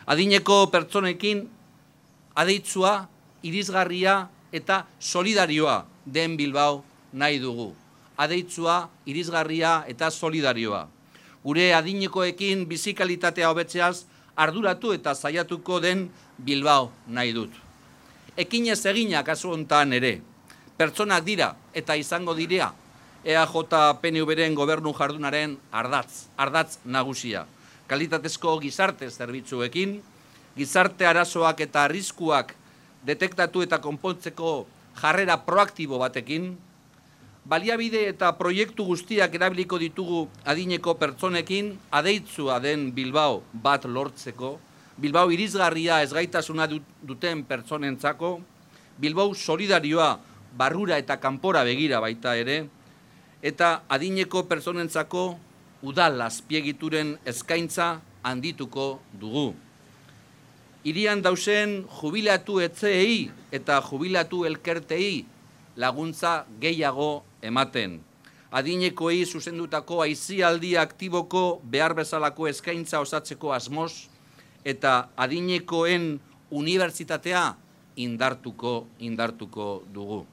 Adineko pertsonekin adeitzua, irisgarria eta solidarioa den Bilbao nahi dugu. Adeitzua, irisgarria eta solidarioa. Gure adinekoekin bizikalitatea hobetzeaz arduratu eta saiatuko den Bilbao nahi dut. Ekinez egina kasu hontan ere, pertsonak dira eta izango direa EAJ-PNV-ren gobernu jardunaren ardatz nagusia. Kalitatezko gizarte zerbitzuekin, gizarte arazoak eta arriskuak detektatu eta konpontzeko jarrera proaktibo batekin, baliabide eta proiektu guztiak erabiliko ditugu adineko pertsonekin adeitzua den Bilbao bat lortzeko, Bilbao irisgarria ezgaitasuna duten pertsonentzako, Bilbao solidarioa barrura eta kanpora begira baita ere, eta adineko pertsonentzako udal azpiegituren eskaintza handituko dugu. Hirian dausen jubilatu etxeei eta jubilatu elkertei laguntza gehiago ematen. Adinekoei zuzendutako aisialdi aktiboko behar bezalako eskaintza osatzeko asmoz eta adinekoen unibertsitatea indartuko dugu.